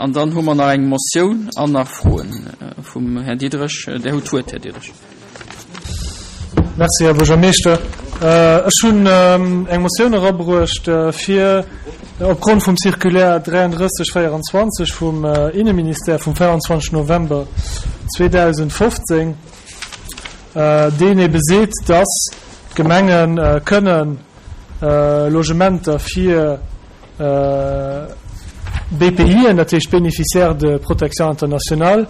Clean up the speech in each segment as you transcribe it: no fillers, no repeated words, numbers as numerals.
An dann hu mer nach eng Motioun an nach Froen vum Här Diderich. Där hutt d'Wuert, Här Diderich. Merci, Här Buergermeeschter. Ech hunn eng Motioun erabruecht, fir opgrond vum Circulaire 3324 vum Inneministère vum 24 November 2015, deen ebe seet, dass d'Gemenge kënnen Logementer fir BPIen, dat heescht Bénéficiaires de protection internationale,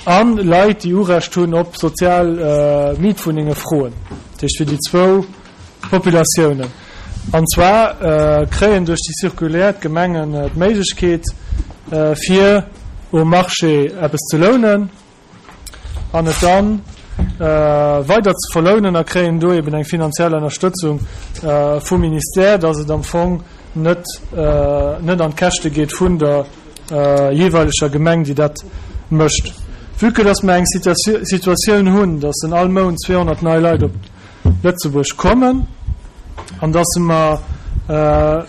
a Leit, déi Urecht hunn op sozial Mietwunnenge froen, dat heescht fir déi zwou Populatiounen. An zwar kréien duerch déi Circulaire d'Gemengen d'Méiglechkeet, fir um Marché eppes ze lounen, an et dann weider ze verlounen a kréien do eben eng finanziell Ënnerstëtzung vum Ministère, dass et am Fong net net an d'Käschte geet vun der jeeweileger Gemeng, déi dat mécht. Vue que dass mer eng Situatioun hunn, dass en all Mount 200 nei Leit op Lëtzebuerg kommen an dass mer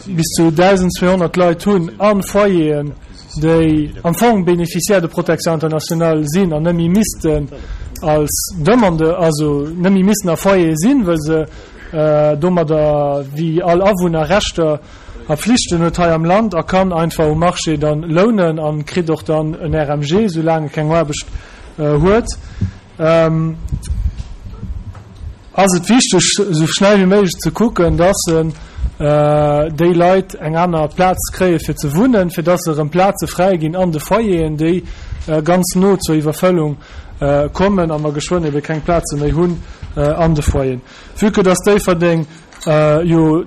bis zu 1.200 Leit hunn a Foyeren, déi am Fong Bénéficiaires de protection internationale sinn an net méi missten als Demandeur, also net méi missten a Foyere sinn, well se domadder wéi all Awunner Rechter a Flichten huet hei am Land a kann einfach um Marché dann lounen a kritt och dann en RMG, soulaang e keng Aarbecht huet. Ass et wichteg, esou schnell wéi méiglech ze kucken, dass déi Leit eng aner Plaz kréie fir ze wunnen, fir dass erëm Plaze fräi ginn an de Foyeren, déi ganz no zur Iwwerfëllung kommen a mer geschwënn ebe keng Plaze méi hunn an de Foyeren. Vue que dass Déifferdeng jo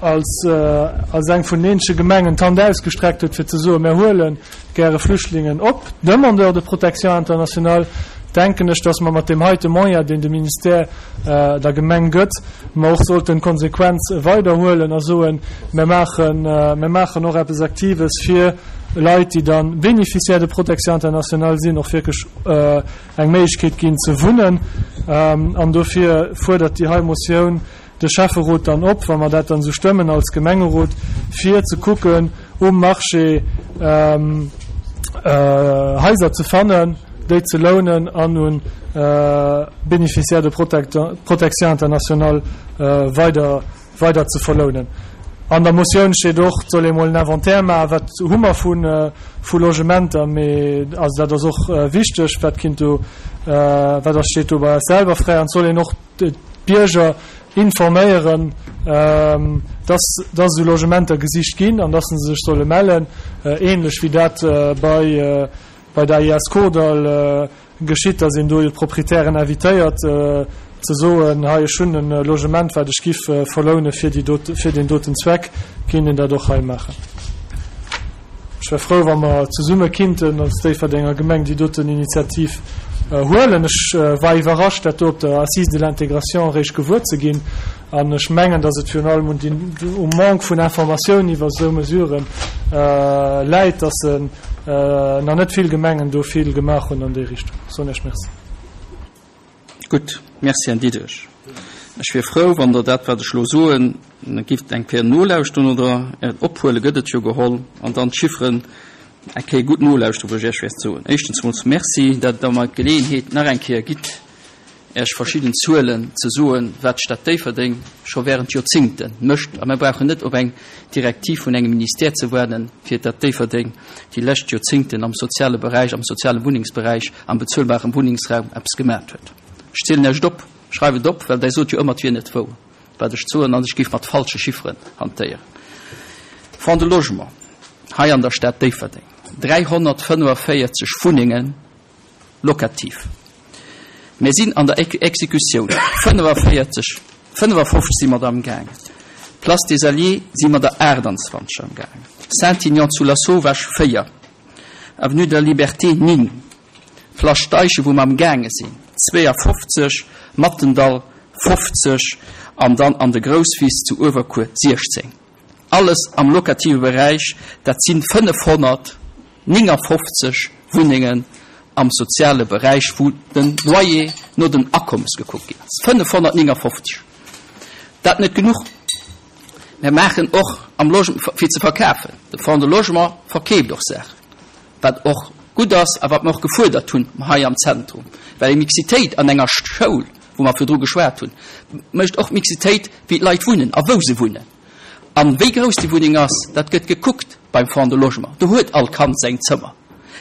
als als eng vun den eenzege Gemengen d'Hand ausgestreckt huet, fir ze soen, Mir huele gäre Flüchtlingen op, Demandeurs de protection internationale, denken ech, dass mer mat deem heite Moyen, deen de Ministère der Gemeng gëtt, mer och sollten d'Konsequenz weiderhuelen a soen, Mir maachen, mir maachen och eppes Aktives fir Leit, déi da Bénéficiaires de protection internationale sinn, och wierklech eng Méiglechkeet ginn ze wunnen. An dofir fuerdert déi hei Motioun, de Schäfferot dann op, wa mer dat dann esou stëmmen als Gemengerot, fir ze kucken, um Marché Haiser ze fannen, déi ze lounen an un Bénéficiaires de protection internationale weider, weider ze verlounen. An der Motioun steet och, et soll ee mol en Inventaire maachen, wat hu mer vu, vu Logementer, mee also dat ass och wichteg, wat kinnt do, wat ass, steet do bei eis selwer fräi an et soll een och, d'Bierger informéieren, dass dass esou Logementer gesicht ginn an dass se sech solle mellen, ähnlech wéi dat bei bei der AIS Kordall geschitt, dass een do jo d'Proprietären invitéiert ze soen, hei ech hunn e Logement wat ech giff verloune fir déi dote fir deen doten Zweck, kéint een dat och hei maachen. Ech wär frou, wa mer zesumme kinnten als Déifferdenger Gemeng déi doten Initiativ huelen. Ech war iwwerrascht, dat do op der Assise de l'intégration eréischt gewuer ze ginn. An ech mengen, datt et virun allem un um Manque vun Informatioun iwwer esou Mesurë läit, datt nach net vill Gemengen do vill gemaach hunn an déi Richtung. Soen Iech Merci. Gutt, Merci, Här Diderich. Ech wier frou, wann Der dat, wat ech elo soen, gifft eng Kéier nolauschteren oder ophuelen, gëtt et jo geholl, an dann d'Chifferen eng Kéier gutt nolauschteren, wou ech Iech wäert soen. Éischtens emol Merci, datt Der mer d'Geleeënheet nach eng Kéier gitt, Iech verschidden Zuelen ze soen, wat d'Stad Déifferdeng scho während Joerzingte mécht. A mir brauchen net op eng Direktiv vun engem Ministère ze waarden, fir datt Déifferdeng déi lescht Joerzingten am soziale Beräich, am soziale Wunnengsberäich, am bezuelbarem Wunnengsraum eppes gemat huet. Ech zielen Iech et op, schreift et op, well Der sot jo ëmmer, et wier net wouer, wat ech soen, an ech géif mat falsche Chifferen hantéieren. Fonds de logement hei an der Stad Déifferdeng, 345 Wunnengen locatif. Mir sinn an der Exekutioun, 45, 55 si mer der amgaangen. Place des Alliés si mer der 28 amgaangen. Saint-Aignan zu Lasauvage 4, Avenue de la Liberté 9, Place Steichen, wou mer amgaange sinn, 52, Mattendall 50 an dann an de Grousswiss zu Uewerkuer 16. Alles am locative Beräich, dat si 559 Wunnengen am soziale Beräich, wou de Loyer no den Akommes gekuckt ginn ass. 559! Dat net genuch, mir maachen och am Logement, fir ze verkafen, de Fonds de Logement verkeeft och Saachen. Wat och gutt ass a wat mer och gefuerdert hunn hei am Zentrum, well eng Mixitéit an enger Schoul, wou mer virdru geschwat hunn, mécht och d'Mixitéit, wéi d'Leit wunnen a wou se wunnen. A wéi grouss déi Wunneng ass, dat gëtt gekuckt beim Fonds de Logement. Do huet all Kand säin Zëmmer.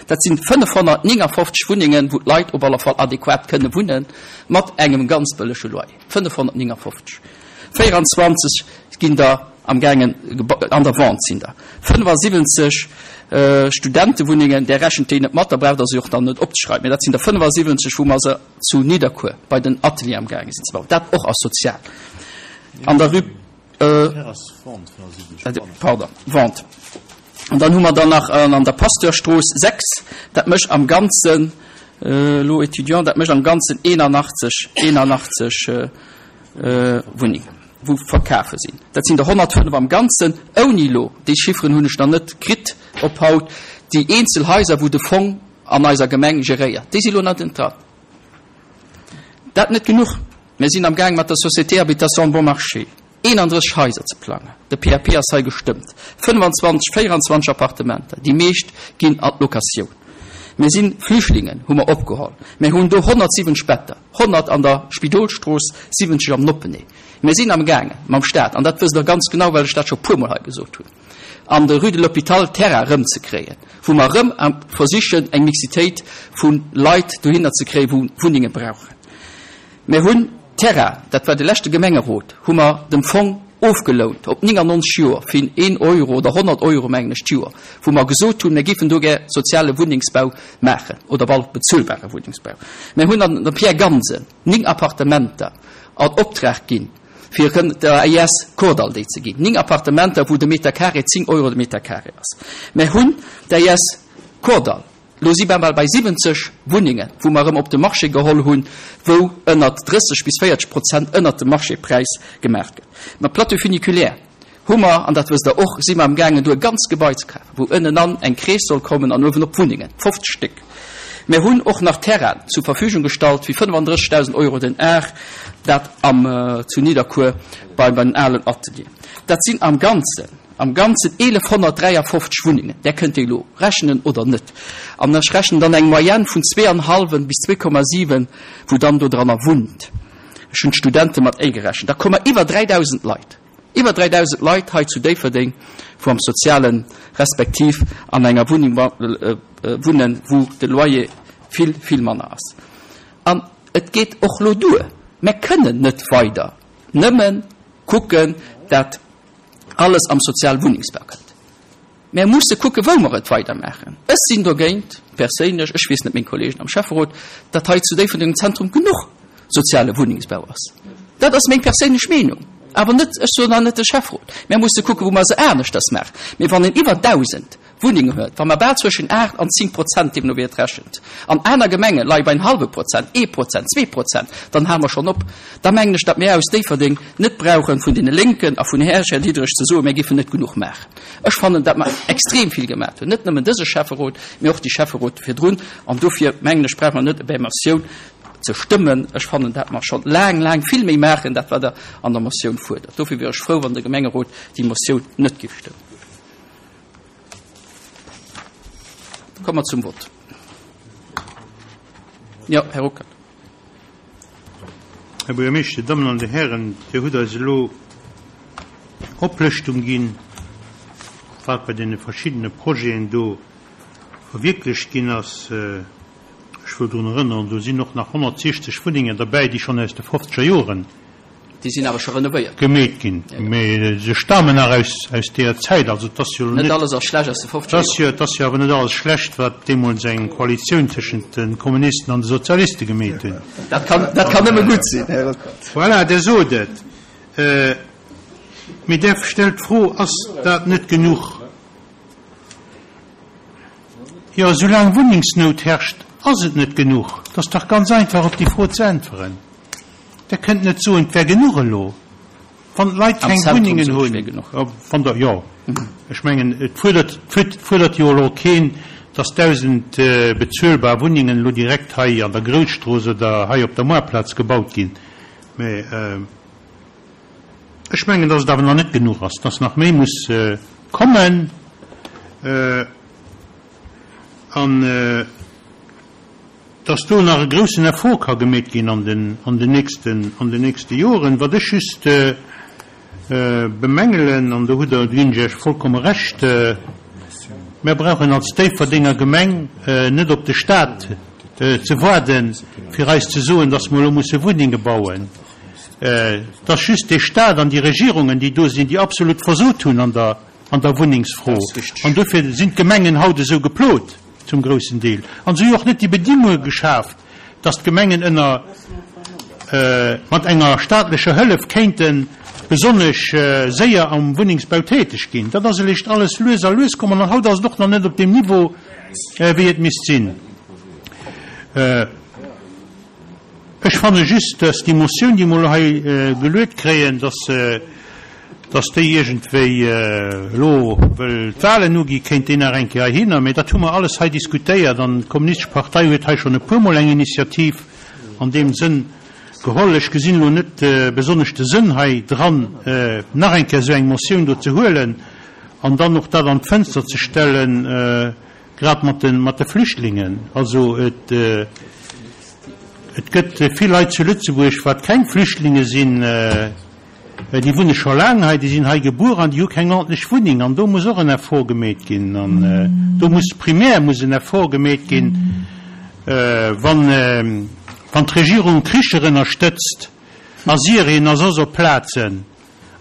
Dat sinn 559 Wunnengen, wou d'Leit op alle Fall adequat kënne wunnen, mat engem ganz bëllege Loyer. 559. 24 ginn der am gaangen, an der Vente sinn der 75 Studentewunnengen. Där rechent déi net mat, da braucht Der se och dann net opzeschreiwen. Mä dat sinn der 75, wou mer se zu Nidderkuer bei den Atelieren am gaange sinn ze bauen. Dat och ass sozial. An der Rue. Pardon, Vente. An dann hu mer dann nach an der Pasteurstrooss 6, dat mécht am Ganzen, elo Étudiant, dat mécht am Ganzen 81, 81 Wunnengen, wou verkafe sinn. Dat sinn der 105 am Ganzen, ouni elo, déi Chifferen hunn ech nach net kritt op haut, déi eenzel Haiser, wou de Fong an eiser Gemeng geréiert. Déi si lo nach net dran. Dat net genuch, mir sinn am Gaang mat der Société Habitation Bon Marché 31 Haiser ze plangen. De PAP ass hei gestëmmt. 25, 24 Appartementer, déi meescht ginn an d'Locatioun. Mir si Flüchtlingen hu mer opgeholl. Mir hunn do 170 Better, 100 an der Spidolstrooss, 70 am Noppenee. Mir sinn am Gaange mam Stat, an dat wësst Der ganz genau, well ech dat scho puermol hei gesot hunn, an der Rue de l'Hôpital Terrain erëmzekréien, wou mer erëm versichen, eng Mixitéit vu Leit dohinner ze kréien, wou Wunnenge brauchen. Mir hunn Terrain, dat war de leschte Gemengerot, hu mer dem Fong ofgelount op 99 Joer fir een Euro oder 100 Euro, mengen ech, d'Joer, wou mer gesot hunn, mir géifen do gär soziale Wunnengsbau maachen oder op alle Fall bezuelbare Wunnengsbau. Mir hunn an der Pierre Gansen 9 Appartementer an Optrag ginn, fir erëm der AIS Kordall déi ze ginn. 9 Appartementer, wou de Meter carré 10 Euro de Meter carré ass. Mir hunn d'AIS Kordall, elo si mer bal bei 70 Wunnengen, wou mer erëm op de Marché geholl hunn, wou ënnert 30 bis 40 Prozent ënnert dem Marchépräis gemaach gëtt. Mam Plateau funiculaire hu mer, an dat wësst Der och, si mer amgaangen do e ganzt Gebai ze kafen, wou ënnenan eng Crèche soll kommen an uewenop Wunnengen, 50 Stéck. Mir hunn och nach Terrainen zur Verfügung gestallt fir 35.000 Euro den Ar, dat am zu Nidderkuer bei den alen Atelieren. Dat sinn am Ganzen, am Ganzen 1.153 Wunnengen. Där kënnt Dir elo rechnen oder net. An ech rechnen dann eng Moyenne vun zweeanhallwen bis 2,7, wou dann dodranner wunnt. Ech hunn d'Studente mat agerechent. Da komme mer iwwer 3.000 Leit. Iwwer 3.000 Leit hei zu Déifferdeng, wou am Sozialen, respektiv an enger Wunneng wunnen, wou de Loyer vill, vill manner ass. An et geet och elo duer. Mär kënnen net weider nëmme kucken, dat alles am soziale Wunnengsbau kënnt. Mär musse kucke wou mer et weidermaachen. Ech sinn dogéint, perséinlech, ech weess net meng Kollegen am Schäfferot, datt hei zu Déifferdeng am Zentrum genuch soziale Wunnengsbau ass. Dat ass meng perséinlech Meenung, awer net, ech soen hei net de Schäfferot. Mär musse kucke wou mer se aneschters maachen. Mee wann een iwwer 1.000 Wunnengen huet, wa mer bal zwëschen 8 an 10 Prozent, deemno wéi et rechent, an aner Gemenge leie bei en hallwe Prozent, ee Prozent, 2 Prozent, dann hale mer schonn op. Da mengen ech, datt mir aus Déifferdeng net brauchen, vun deene Lénken a vun Här Diderich ze soen, mir géifen net genuch maachen. Ech fannen, datt mer extrem vill gemaat hunn, net nëmmen dëse Schäfferot, mee och déi Schäfferote virdrun. An dofir, mengen ech, brauche mer net op är Motioun ze stëmmen. Ech fannen, datt mer schonn laang, laang vill méi maachen, dat wat Der an der Motioun fuerdert. Dofir wier ech frou, wann de Gemengerot déi Motioun net géif stëmmen. Komme mer zum Vott. Jo, Här Ruckert. Här Buergermeeschter, Dir Dammen an Dir Hären, Dir hutt eis elo eng Oplëschtung ginn, wat bei deene verschiddene Projeten do verwierklecht ginn ass. Ech wëll drun erënneren, do sinn och nach 160 Wunnengen derbäi, déi schonn aus de fofzeger Joren Déi sinn awer scho renovéiert. Gemeet ginn. Mee se stamen nach aus, aus deeër Zäit. Also et ass jo elo net. Net alles ass schlecht aus de fofzeger Joren. Et ass jo awer net alles schlecht, wat deemools eng Koalitioun tëschent de Kommunisten an de Sozialiste gemeet hunn. Dat kann, dat kann nëmme gutt sinn, Här Ruckert. Voilà, Der sot et. Mee Der stellt d'Fro, Ass dat net genuch? Jo, soulaang Wunnengsnout herrscht, ass et net genuch. Et ass dach ganz einfach, op déi Fro ze äntweren. Der kënnt net soen, et wär genuch elo, wann d'Leit keng Wunnengen hunn. Wann Der, jo, ech mengen, et fuerdert, et fuerdert jo elo keen, dass 1.000 bezuelbar Wunnengen elo direkt hei an der Grousstrooss oder hei op der Moarplaz gebaut ginn. Mä ech mengen, dass et awer nach net genuch ass, dass nach méi muss kommen. An dass do nach e groussen Effort ka gemeet ginn an den, an den nächsten, an den nächste Joren. Wat ech just bemängelen, an do hutt Der, do ginn ech Iech vollkomme Recht, Mir brauchen als Déifferdenger Gemeng net op de Stat ze waarden, fir eis ze soen, dass mer elo musse Wunnenge bauen. Et ass just dee Stat an déi Regierungen, déi do sinn, déi absolut versot hunn an der, an der Wunnengsfro. An dofir sinn d'Gemengen haut esou geplot zum groussen Deel. An se hu jo och net déi Bedingunge geschaaft, dass d'Gemengen ënner, mat enger staatlecher Hëllef kéinte besonnesch séier am Wunnengsbau täteg ginn. Dat ass eréischt alles lues a lues komm an haut ass et och nach net op deem Niveau, wéi et misst sinn. Ech fanne just, dass déi Motioun, déi mer elo hei geluet kréien, dass se, dass déi iergendwéi elo, wëll d'Wahlen ugi, kéint déi nach eng Kéier heihinner. Mä dat hu mer alles hei diskutéiert an d'Kommunistesch Partei huet hei schonn e puermol eng Initiativ an deem Sënn geholl. Ech gesinn elo net besonnesch de Sënn hei dran, nach eng Kéier esou eng Motioun do ze huelen an dann och dat an d'Fënster ze stellen, Grad mat de, mat de Flüchtlingen. Also et, et gëtt vill Leit zu Lëtzebuerg, wat keng Flüchtlinge sinn, déi wunne scho laang hei, déi sinn hei gebuer an déi hu keng ordentlech Wunneng. An do muss och en Effort gemeet ginn. An do muss primär muss en Effort gemeet ginn, wann, wann d'Regierung Kricher ënnerstëtzt a Syrien a soss op Plazen,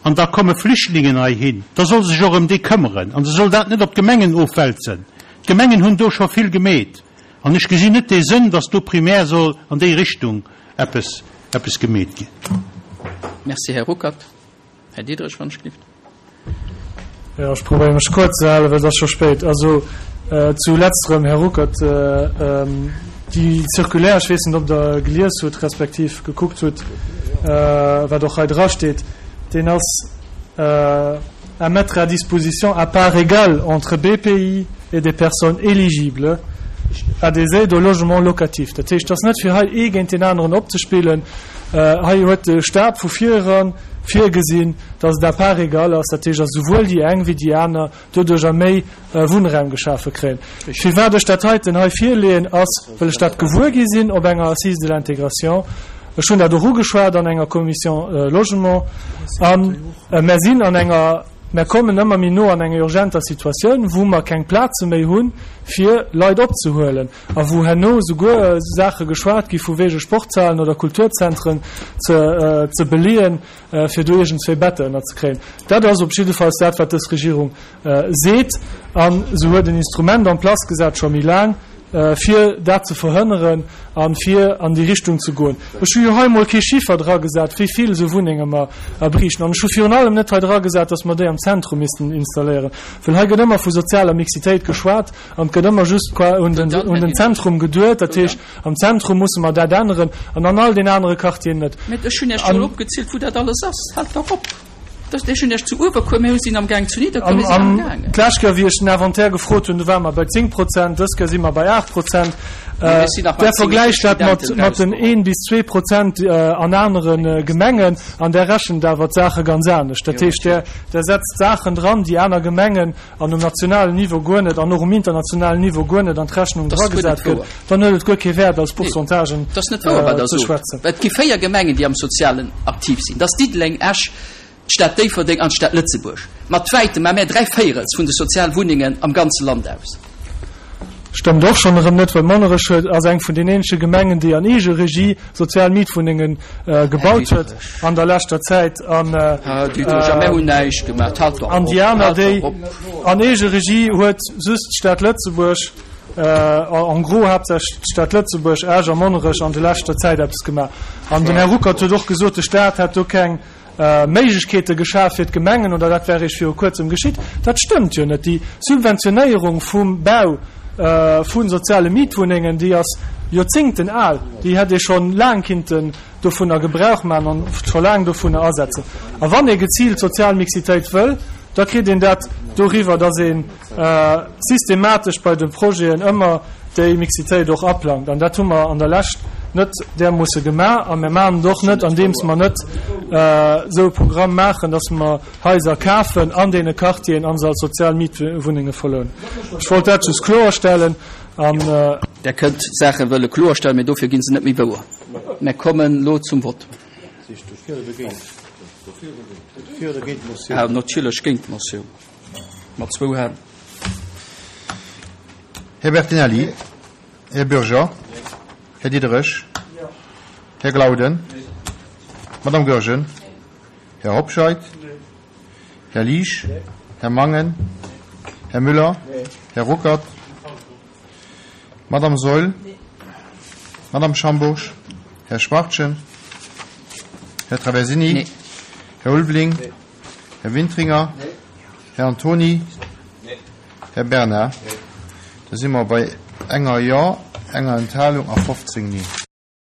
An da komme Flüchtlingen heihin, da soll sech och ëm déi këmmeren an se soll dat net op d'Gemengen ofwälzen. D'Gemengen hunn do scho vill gemeet an ech gesinn net dee Sënn, dass do primär soll an déi Richtung eppes, eppes gemeet ginn. Merci, Här Ruckert. Här Diderich, wann ech gelift. Jo, ech probéiere mech kuerz ze halen, well et ass scho spéit. Also zu letzterem, Här Ruckert, déi Circulaire, ech weess net, ob Der gelies hutt respektiv gekuckt hutt, wat och hei drasteet, deen ass à mettre à disposition à parts égales entre BPI et des personnes éligibles à des aides au logement locatif. Dat heescht, et ass net fir hei ee géint deen aneren opzespillen. Hei huet de Stat vu vir eran virgesinn, dass et à part égale ass, dat heescht, dass esouwuel déi eng wéi déi aner doduercher méi Wunnraum geschafe kréien. Firwat ech dat heiten hei virleeën, ass, well ech dat gewuer gi sinn op enger Assise de l'intégration. Ech hunn dat och ugeschwat an enger Commission Logement. A mer sinn an enger, mer kommen ëmmer méi no an eng urgenter Situatioun, wou mer keng Plaze méi hunn, fir Leit opzehuelen. A wou herno souguer Saache geschwat gi vu wege Sportshalen oder Kulturzentren ze, ze beleeën, fir do iergendzwéi Better ënnerzekréien. Dat ass op jiddefalls dat, wat dës Regierung seet. A se huet en Instrument en place gesat, scho méi laang, fir dat ze verhënneren a fir an déi Richtung ze goen. Ech hu jo hei emol kee Chiffer dragesat, wéi vill esou Wunnenge mer briichten. An ech hu virun allem net hei dragesat, datt mer déi am Zentrum missten installéieren, well hei gëtt ëmmer vu sozialer Mixitéit geschwat an et gëtt ëmmer just qua un den, un den Zentrum geduet. Dat heescht, Am Zentrum musse mer dat änneren an an all den anere Quartieren net. Mä ech hunn Iech jo elo opgezielt, wou dat alles ass. Haalt dach op! Ech hunn Iech zu Uewerkuer, mir sinn amgaang zu Nidderkuer, mir sinn amgaangen. D'lescht Kéier, wéi ech den Inventaire gefrot hunn, do ware mer bei 10 Prozent, dës Kéier si mer bei 8 Prozent. Där vergläicht dat mat den een bis zwee Prozent an anere Gemengen an där rechent awer d'Saache ganz anescht. Dat heescht, där setzt Saachen dran, déi aner Gemengen an um nationalen Niveau guer net an och um internationalen Niveau guer net an d'Rechnung dragesat gëtt, dann huet et guer kee Wäert als Pourcentagen ze schwätzen. Et gi 4 Gemengen, déi am Sozialen aktiv sinn, dat ass Diddeleng, Esch, d'Stad Déifferdeng an d'Stad Lëtzebuerg. Mat wäitem mä 3 Véirels vun de Sozialwunnengen am ganze Land aus. Stëmmt och schonn erëm net, well Monnerech huet, ass eng vun den eenzege Gemengen, déi an Eegeregie sozial Mietwunnenge gebaut huet an der leschter Zäit. An déi aner, déi an Eegeregie huet just d'Stad Lëtzebuerg, en gros haaptsächlech d'Stad Lëtzebuerg, Esch a Monnerech an de leschter Zäit eppes gemaach. An den Här Ruckert huet och gesot, de Staat hätt do keng Méiglechkeete geschaf fir d'Gemengen, oder dat wär eréischt viru kuerzem geschitt. Dat stëmmt jo net. Déi Subventionéierung vum Bau vu soziale Mietwunnengen, déi ass Joerzéngten al. Déi hätt ee scho laang kinnten dovunner Gebrauch maachen an scho laang dovunner asetzen. A wann ee geziilt sozial Mixitéit wëll, da kritt een dat doriwwer, datt ee systematesch bei de Projeten ëmmer déi Mixitéit och aplangt. An dat hu mer an der Lescht net därmoosse gemaach a mir maachen et och net, andeems mer net esou e Programm maachen, dass mer Haiser kafen an deene Quartieren a se als sozial Mietwunnenge verlounen. Ech wollt dat just kloerstellen. An. Der kënnt Saache wëlle kloerstellen, mee dofir gi se net méi wouer. Mer kommen elo zum Vott. Natierlech géint d'Motioun, mat zwou Hänn. Här Bertinelli, Här Bürger, Här Diderich, Här Glauden, Madame Goergen, Här Hobscheit, Här Liesch, Här Mangen, Här Müller, Här Ruckert, Madame Saeul, Madame Schambourg, Här Schwachtgen, Här Traversini, Här Ulveling, Här Wintringer, Här Antony, Här Bernard. Da si mer bei enger Jo, enger Enthalung a 15 Nee.